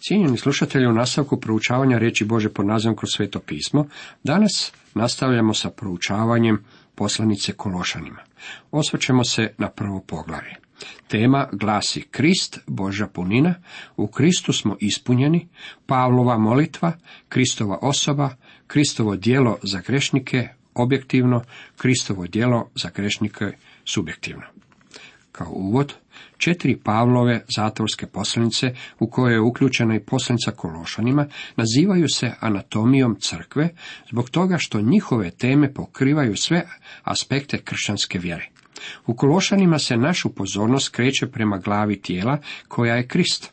Cijenjeni slušatelji, u nastavku proučavanja riječi Bože pod nazivom Kroz sveto pismo, danas nastavljamo sa proučavanjem poslanice Kološanima. Osvrćemo se na prvo poglavlje. Tema glasi Krist, Božja punina, u Kristu smo ispunjeni, Pavlova molitva, Kristova osoba, Kristovo djelo za grešnike objektivno, Kristovo djelo za grešnike subjektivno. Kao uvod, 4 Pavlove zatvorske poslanice, u koje je uključena i poslanica Kološanima, nazivaju se anatomijom crkve, zbog toga što njihove teme pokrivaju sve aspekte kršćanske vjere. U Kološanima se našu pozornost kreće prema glavi tijela, koja je Krist.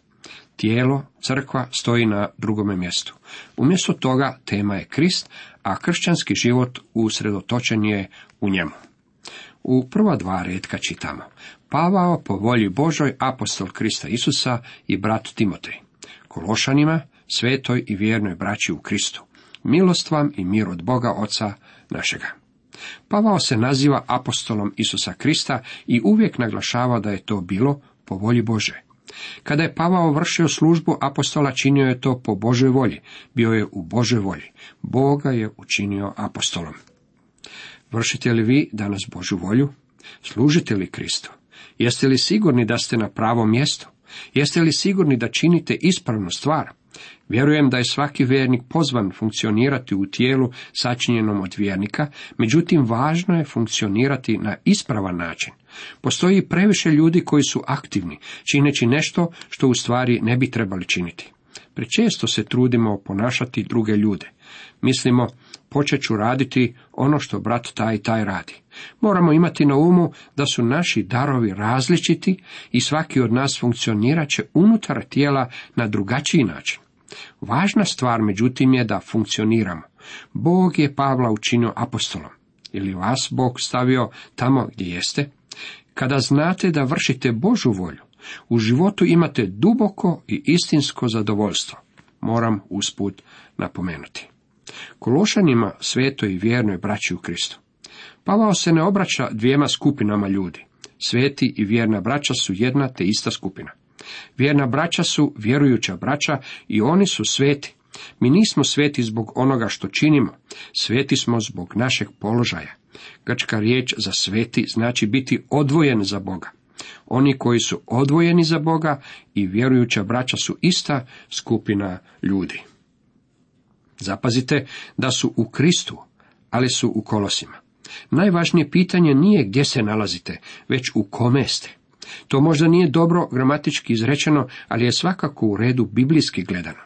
Tijelo, crkva, stoji na drugome mjestu. Umjesto toga tema je Krist, a kršćanski život usredotočen je u njemu. U prva 2 retka čitamo: Pavao po volji Božoj, apostol Krista Isusa i brat Timotej, Kološanima, svetoj i vjernoj braći u Kristu, milost vam i mir od Boga Oca našega. Pavao se naziva apostolom Isusa Krista i uvijek naglašava da je to bilo po volji Bože. Kada je Pavao vršio službu apostola, činio je to po Božoj volji, bio je u Božoj volji. Boga je učinio apostolom. Vršite li vi danas Božju volju? Služite li Kristu? Jeste li sigurni da ste na pravom mjestu? Jeste li sigurni da činite ispravnu stvar? Vjerujem da je svaki vjernik pozvan funkcionirati u tijelu sačinjenom od vjernika, međutim važno je funkcionirati na ispravan način. Postoji previše ljudi koji su aktivni, čineći nešto što u stvari ne bi trebali činiti. Prečesto se trudimo ponašati druge ljude. Mislimo, počet ću raditi ono što brat taj i taj radi. Moramo imati na umu da su naši darovi različiti i svaki od nas funkcionirat će unutar tijela na drugačiji način. Važna stvar, međutim, je da funkcioniramo. Bog je Pavla učinio apostolom. Ili vas Bog stavio tamo gdje jeste? Kada znate da vršite Božju volju, u životu imate duboko i istinsko zadovoljstvo. Moram usput napomenuti. Kološanima, svetoj i vjernoj braći u Kristu. Pavao se ne obraća 2 skupinama ljudi. Sveti i vjerna braća su jedna te ista skupina. Vjerna braća su vjerujuća braća i oni su sveti. Mi nismo sveti zbog onoga što činimo, sveti smo zbog našeg položaja. Grčka riječ za sveti znači biti odvojen za Boga. Oni koji su odvojeni za Boga i vjerujuća braća su ista skupina ljudi. Zapazite da su u Kristu, ali su u Kolosima. Najvažnije pitanje nije gdje se nalazite, već u kome ste. To možda nije dobro gramatički izrečeno, ali je svakako u redu biblijski gledano.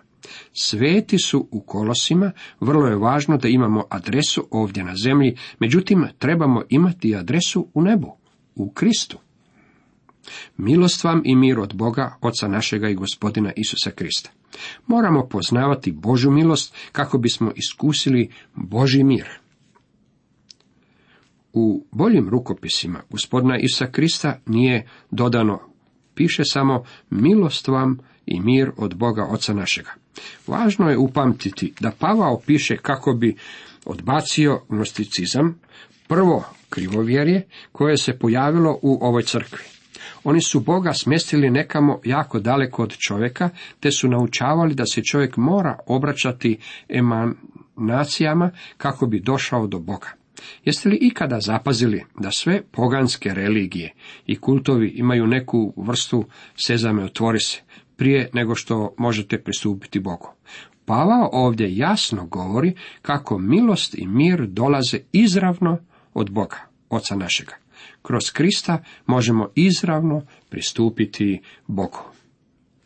Sveti su u Kolosima, vrlo je važno da imamo adresu ovdje na zemlji, međutim trebamo imati adresu u nebu, u Kristu. Milost vam i mir od Boga, Oca našega i Gospodina Isusa Krista. Moramo poznavati Božju milost kako bismo iskusili Božji mir. U boljim rukopisima Gospodina Isusa Krista nije dodano, piše samo milost vam i mir od Boga Oca našega. Važno je upamtiti da Pavao piše kako bi odbacio gnosticizam, prvo krivovjerje koje se pojavilo u ovoj crkvi. Oni su Boga smjestili nekamo jako daleko od čovjeka, te su naučavali da se čovjek mora obraćati emanacijama kako bi došao do Boga. Jeste li ikada zapazili da sve poganske religije i kultovi imaju neku vrstu sezame otvori se, prije nego što možete pristupiti Bogu? Pavao ovdje jasno govori kako milost i mir dolaze izravno od Boga, Oca našega. Kroz Krista možemo izravno pristupiti Bogu.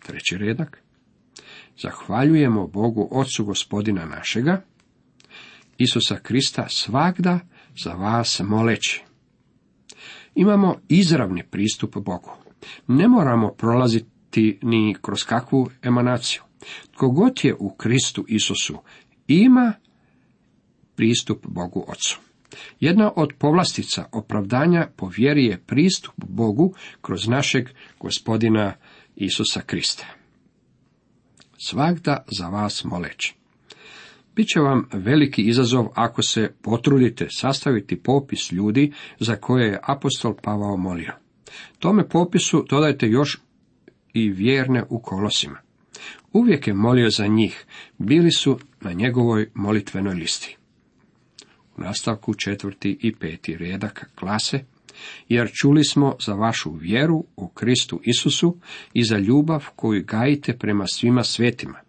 3. redak. Zahvaljujemo Bogu Ocu Gospodina našega, Isusa Krista, svagda za vas moleći. Imamo izravni pristup Bogu. Ne moramo prolaziti ni kroz kakvu emanaciju. Tko god je u Kristu Isusu ima pristup Bogu Ocu. Jedna od povlastica opravdanja po vjeri je pristup Bogu kroz našeg Gospodina Isusa Krista. Svagda za vas moleći. Biće vam veliki izazov ako se potrudite sastaviti popis ljudi za koje je apostol Pavao molio. Tome popisu dodajte još i vjerne u Kolosima. Uvijek je molio za njih, bili su na njegovoj molitvenoj listi. U nastavku 4. i 5. redak glase: jer čuli smo za vašu vjeru u Kristu Isusu i za ljubav koju gajite prema svima svetima,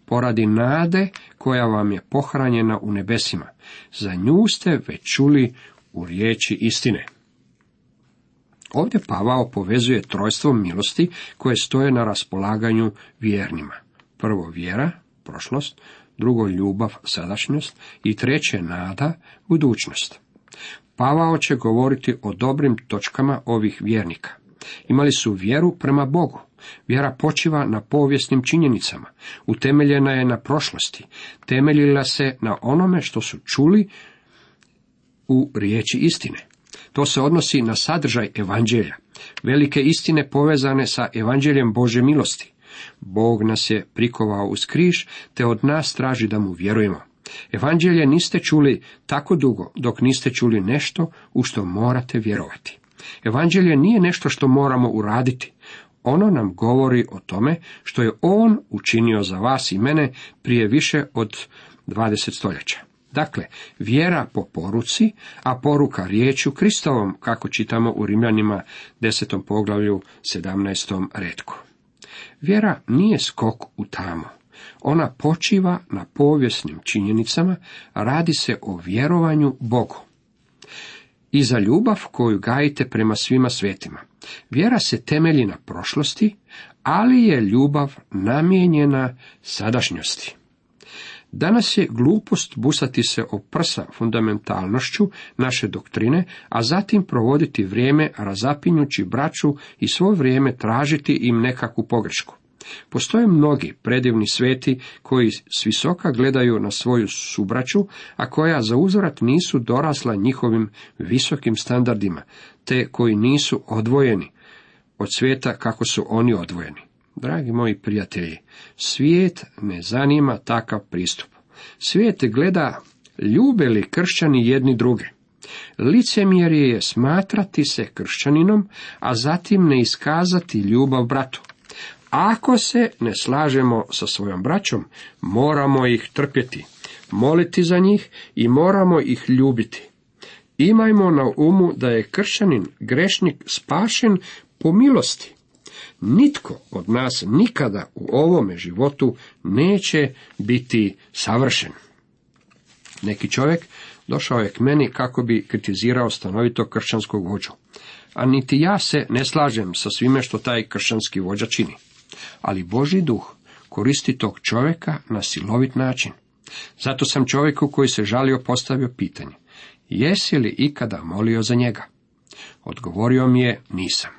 poradi nade koja vam je pohranjena u nebesima. Za nju ste već čuli u riječi istine. Ovdje Pavao povezuje trojstvo milosti koje stoje na raspolaganju vjernima. Prvo vjera, prošlost, drugo ljubav, sadašnjost i treće nada, budućnost. Pavao će govoriti o dobrim točkama ovih vjernika. Imali su vjeru prema Bogu. Vjera počiva na povijesnim činjenicama, utemeljena je na prošlosti, temeljila se na onome što su čuli u riječi istine. To se odnosi na sadržaj evanđelja, velike istine povezane sa evanđeljem Božje milosti. Bog nas je prikovao uz križ, te od nas traži da mu vjerujemo. Evanđelje niste čuli tako dugo dok niste čuli nešto u što morate vjerovati. Evanđelje nije nešto što moramo uraditi. Ono nam govori o tome što je on učinio za vas i mene prije više od 20 stoljeća. Dakle, vjera po poruci, a poruka riječju Kristovom, kako čitamo u Rimljanima 10. poglavlju 17. retku. Vjera nije skok u tamo. Ona počiva na povijesnim činjenicama, radi se o vjerovanju Bogu. I za ljubav koju gajite prema svima svetima. Vjera se temelji na prošlosti, ali je ljubav namijenjena sadašnjosti. Danas je glupost busati se o prsa fundamentalnošću naše doktrine, a zatim provoditi vrijeme razapinjući braću i svo vrijeme tražiti im nekakvu pogrešku. Postoje mnogi predivni sveti koji s visoka gledaju na svoju subraću, a koja za uzvrat nisu dorasla njihovim visokim standardima, te koji nisu odvojeni od svijeta kako su oni odvojeni. Dragi moji prijatelji, svijet ne zanima takav pristup. Svijet gleda ljube li kršćani jedni druge. Licemjerje je smatrati se kršćaninom, a zatim ne iskazati ljubav bratu. Ako se ne slažemo sa svojom braćom, moramo ih trpjeti, moliti za njih i moramo ih ljubiti. Imajmo na umu da je kršćanin, grešnik, spašen po milosti. Nitko od nas nikada u ovome životu neće biti savršen. Neki čovjek došao je k meni kako bi kritizirao stanovito kršćanskog vođu, a niti ja se ne slažem sa svime što taj kršćanski vođa čini. Ali Božji duh koristi tog čovjeka na silovit način. Zato sam čovjeku koji se žalio postavio pitanje: jesi li ikada molio za njega? Odgovorio mi je: nisam.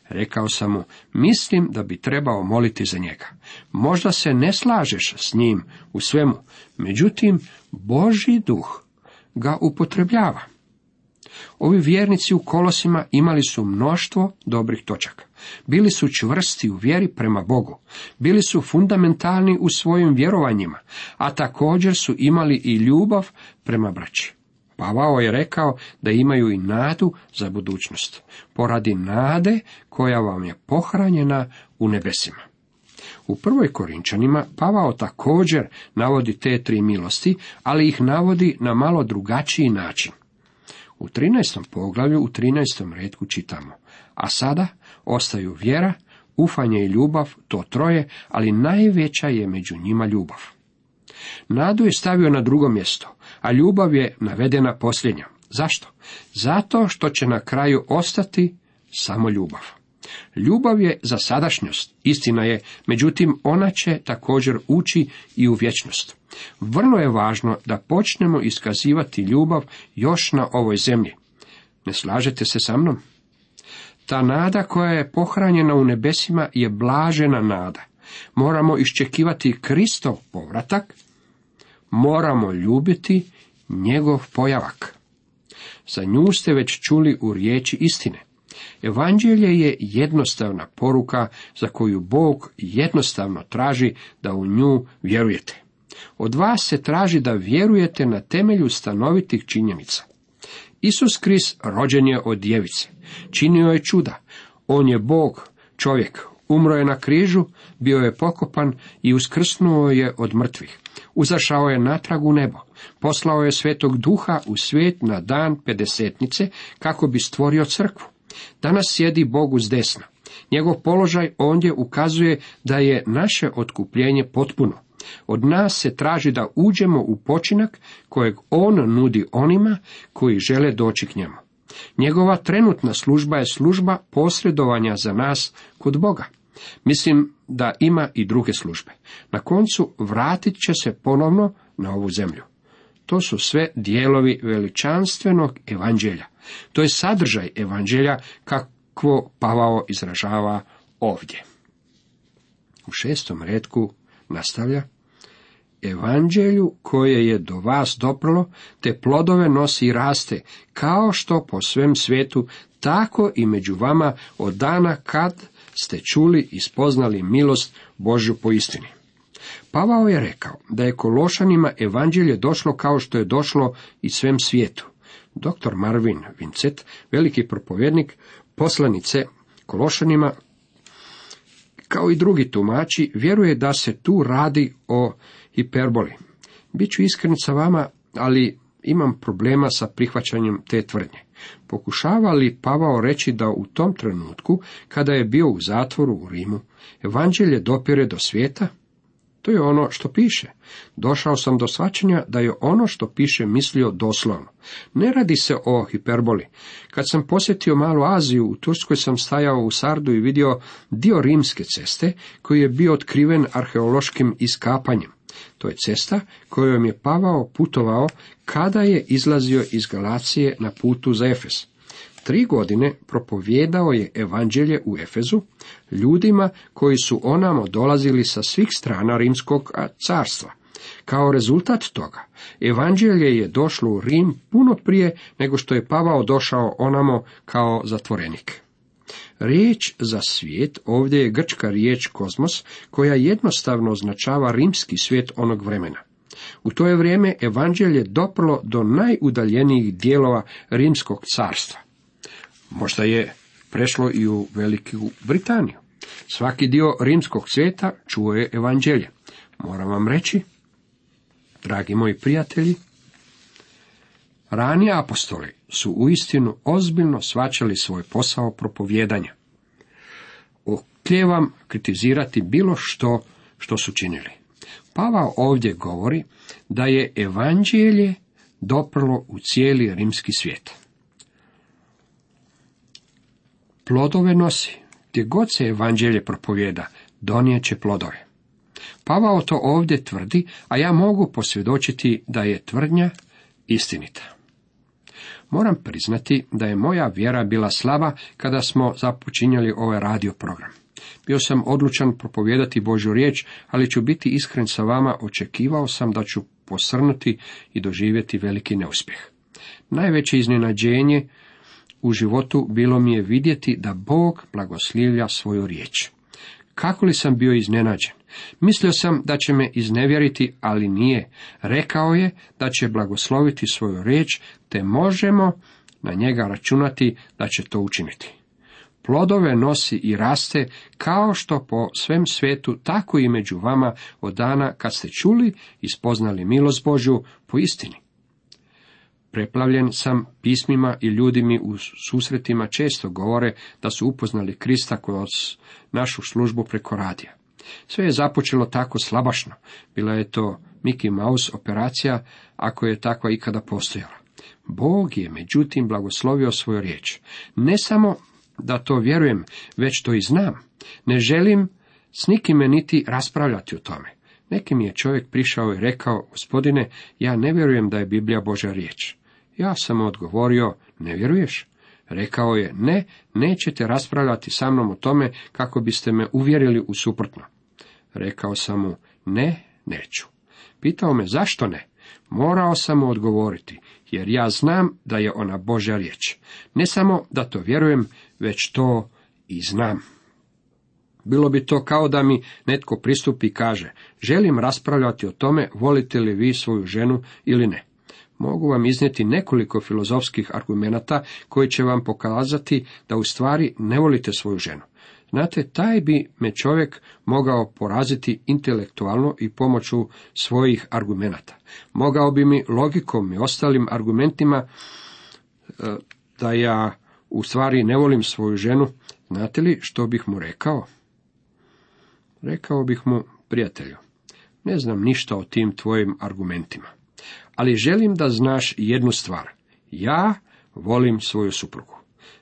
Rekao sam mu: mislim da bi trebao moliti za njega. Možda se ne slažeš s njim u svemu, međutim Božji duh ga upotrebljava. Ovi vjernici u Kolosima imali su mnoštvo dobrih točaka. Bili su čvrsti u vjeri prema Bogu. Bili su fundamentalni u svojim vjerovanjima, a također su imali i ljubav prema braći. Pavao je rekao da imaju i nadu za budućnost, poradi nade koja vam je pohranjena u nebesima. U 1. Korinčanima Pavao također navodi te tri milosti, ali ih navodi na malo drugačiji način. U 13. poglavlju, u 13. retku čitamo: a sada ostaju vjera, ufanje i ljubav, to troje, ali najveća je među njima ljubav. Nadu je stavio na drugo mjesto, a ljubav je navedena posljednja. Zašto? Zato što će na kraju ostati samo ljubav. Ljubav je za sadašnjost, istina je, međutim ona će također ući i u vječnost. Vrlo je važno da počnemo iskazivati ljubav još na ovoj zemlji. Ne slažete se sa mnom? Ta nada koja je pohranjena u nebesima je blažena nada. Moramo iščekivati Kristov povratak, moramo ljubiti njegov pojavak. Za nju ste već čuli u riječi istine. Evanđelje je jednostavna poruka za koju Bog jednostavno traži da u nju vjerujete. Od vas se traži da vjerujete na temelju stanovitih činjenica. Isus Krist rođen je od djevice, činio je čuda. On je Bog, čovjek, Umro je na križu, bio je pokopan i uskrsnuo je od mrtvih. Uzašao je natrag u nebo. Poslao je Svetog Duha u svijet na dan Pedesetnice kako bi stvorio crkvu. Danas sjedi Bogu s desna. Njegov položaj ondje ukazuje da je naše otkupljenje potpuno. Od nas se traži da uđemo u počinak kojeg on nudi onima koji žele doći k njemu. Njegova trenutna služba je služba posredovanja za nas kod Boga. Mislim da ima i druge službe. Na koncu vratit će se ponovno na ovu zemlju. To su sve dijelovi veličanstvenog evanđelja. To je sadržaj evanđelja kakvo Pavao izražava ovdje. U 6. retku nastavlja: Evanđelju koje je do vas doprlo, te plodove nosi i raste, kao što po svem svijetu, tako i među vama od dana kad ste čuli i spoznali milost Božju po istini. Pavao je rekao da je Kološanima evanđelje došlo kao što je došlo i svem svijetu. Dr. Marvin Vincent, veliki propovjednik poslanice Kološanima, kao i drugi tumači, vjeruje da se tu radi o hiperboli. Biću iskren sa vama, ali imam problema sa prihvaćanjem te tvrdnje. Pokušava li Pavao reći da u tom trenutku, kada je bio u zatvoru u Rimu, evanđelje dopire do svijeta? To je ono što piše. Došao sam do shvaćanja da je ono što piše mislio doslovno. Ne radi se o hiperboli. Kad sam posjetio Malu Aziju, u Turskoj sam stajao u Sardu i vidio dio rimske ceste koji je bio otkriven arheološkim iskapanjem. To je cesta kojom je Pavao putovao kada je izlazio iz Galacije na putu za Efes. 3 godine propovijedao je evanđelje u Efezu ljudima koji su onamo dolazili sa svih strana rimskog carstva. Kao rezultat toga, evanđelje je došlo u Rim puno prije nego što je Pavao došao onamo kao zatvorenik. Riječ za svijet ovdje je grčka riječ kozmos, koja jednostavno označava rimski svijet onog vremena. U to je vrijeme evanđelje doprlo do najudaljenijih dijelova rimskog carstva. Možda je prešlo i u Veliku Britaniju. Svaki dio rimskog svijeta čuo je evanđelje. Moram vam reći, dragi moji prijatelji, rani apostoli su uistinu ozbiljno shvaćali svoj posao propovijedanja. Okljevam kritizirati bilo što su činili. Pavao ovdje govori da je evanđelje doprlo u cijeli rimski svijet. Plodove nosi. Gdje god se evanđelje propovijeda, donijet će plodove. Pavao to ovdje tvrdi, a ja mogu posvjedočiti da je tvrdnja istinita. Moram priznati da je moja vjera bila slaba kada smo započinjali ovaj radio program. Bio sam odlučan propovijedati Božju riječ, ali ću biti iskren sa vama, očekivao sam da ću posrnuti i doživjeti veliki neuspjeh. Najveće iznenađenje u životu bilo mi je vidjeti da Bog blagoslivlja svoju riječ. Kako li sam bio iznenađen? Mislio sam da će me iznevjeriti, ali nije. Rekao je da će blagosloviti svoju riječ, te možemo na njega računati da će to učiniti. Plodove nosi i raste, kao što po svem svijetu, tako i među vama od dana kad ste čuli i spoznali milost Božju po istini. Preplavljen sam pismima i ljudi mi u susretima često govore da su upoznali Krista kroz našu službu preko radija. Sve je započelo tako slabašno. Bila je to Mickey Mouse operacija, ako je takva ikada postojala. Bog je međutim blagoslovio svoju riječ. Ne samo da to vjerujem, već to i znam. Ne želim s nikime niti raspravljati o tome. Neki mi je čovjek prišao i rekao: Gospodine, ja ne vjerujem da je Biblija Božja riječ. Ja sam mu odgovorio: Ne vjeruješ? Rekao je: Ne, nećete raspravljati sa mnom o tome kako biste me uvjerili u suprotno. Rekao sam mu: Ne, neću. Pitao me: Zašto ne? Morao sam mu odgovoriti, jer ja znam da je ona Božja riječ. Ne samo da to vjerujem, već to i znam. Bilo bi to kao da mi netko pristupi i kaže: Želim raspravljati o tome, volite li vi svoju ženu ili ne. Mogu vam iznijeti nekoliko filozofskih argumenata koji će vam pokazati da u stvari ne volite svoju ženu. Znate, taj bi me čovjek mogao poraziti intelektualno i pomoću svojih argumenata. Mogao bi mi logikom i ostalim argumentima da ja u stvari ne volim svoju ženu. Znate li što bih mu rekao? Rekao bih mu: prijatelju, ne znam ništa o tim tvojim argumentima, ali želim da znaš jednu stvar. Ja volim svoju suprugu.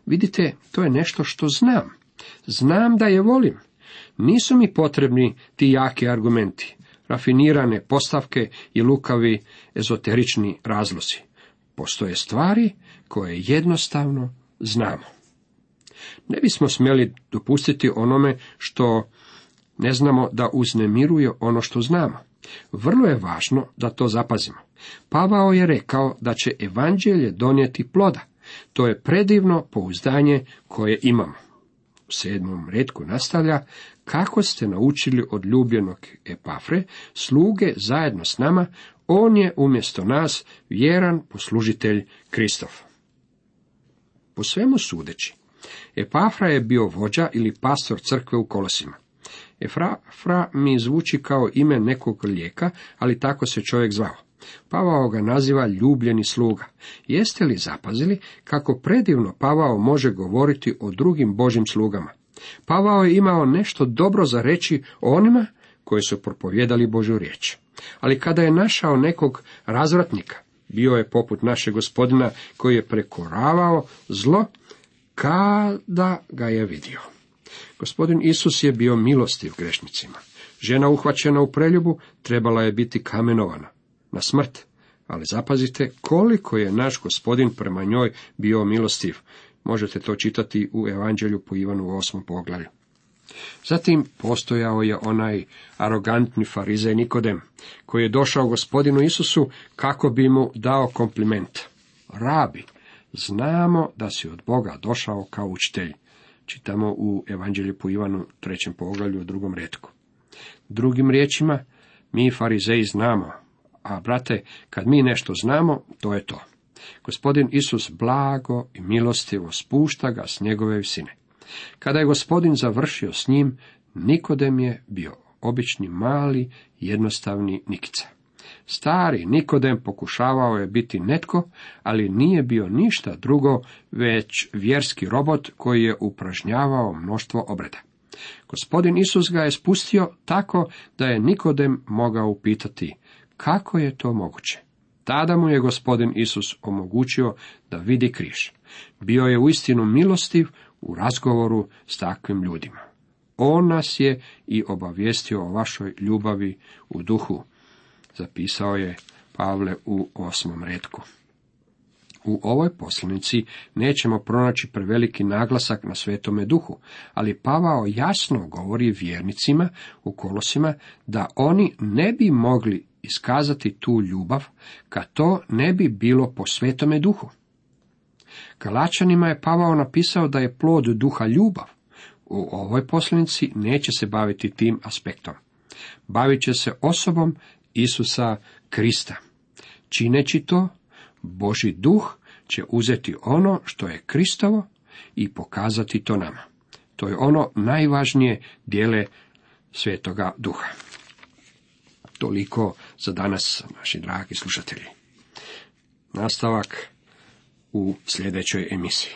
Vidite, to je nešto što znam. Znam da je volim. Nisu mi potrebni ti jaki argumenti, rafinirane postavke i lukavi ezoterični razlozi. Postoje stvari koje jednostavno znamo. Ne bismo smjeli dopustiti onome što ne znamo da uznemiruje ono što znamo. Vrlo je važno da to zapazimo. Pavao je rekao da će evanđelje donijeti ploda. To je predivno pouzdanje koje imamo. U 7. retku nastavlja: kako ste naučili od ljubljenog Epafre, sluge zajedno s nama, on je umjesto nas vjeran poslužitelj Kristov. Po svemu sudeći, Epafra je bio vođa ili pastor crkve u Kolosima. Epafra mi zvuči kao ime nekog lijeka, ali tako se čovjek zvao. Pavao ga naziva ljubljeni sluga. Jeste li zapazili kako predivno Pavao može govoriti o drugim Božjim slugama? Pavao je imao nešto dobro za reći o onima koji su propovjedali Božju riječ. Ali kada je našao nekog razvratnika, bio je poput našeg Gospodina koji je prekoravao zlo kada ga je vidio. Gospodin Isus je bio milostiv grešnicima. Žena uhvaćena u preljubu trebala je biti kamenovana na smrt, ali zapazite koliko je naš Gospodin prema njoj bio milostiv. Možete to čitati u Evanđelju po Ivanu u 8. poglavlju. Zatim postojao je onaj arogantni farizej Nikodem, koji je došao Gospodinu Isusu kako bi mu dao kompliment. Rabi, znamo da si od Boga došao kao učitelj. Čitamo u Evanđelju po Ivanu 3. poglavlju u 2. retku. Drugim riječima, mi farizeji znamo, a brate, kad mi nešto znamo, to je to. Gospodin Isus blago i milostivo spušta ga s njegove visine. Kada je Gospodin završio s njim, Nikodem je bio obični mali, jednostavni Nikica. Stari Nikodem pokušavao je biti netko, ali nije bio ništa drugo, već vjerski robot koji je upražnjavao mnoštvo obreda. Gospodin Isus ga je spustio tako da je Nikodem mogao upitati: kako je to moguće? Tada mu je Gospodin Isus omogućio da vidi križ. Bio je uistinu milostiv u razgovoru s takvim ljudima. On nas je i obavijestio o vašoj ljubavi u duhu, zapisao je Pavle u 8. retku. U ovoj poslanici nećemo pronaći preveliki naglasak na Svetome Duhu, ali Pavao jasno govori vjernicima u Kolosima da oni ne bi mogli iskazati tu ljubav kad to ne bi bilo po Svetome Duhu. Galačanima je Pavao napisao da je plod duha ljubav. U ovoj poslanici neće se baviti tim aspektom. Bavit će se osobom Isusa Krista. Čineći to, Božji duh će uzeti ono što je Kristovo i pokazati to nama. To je ono najvažnije dijele Svetoga Duha. Toliko za danas, naši dragi slušatelji. Nastavak u sljedećoj emisiji.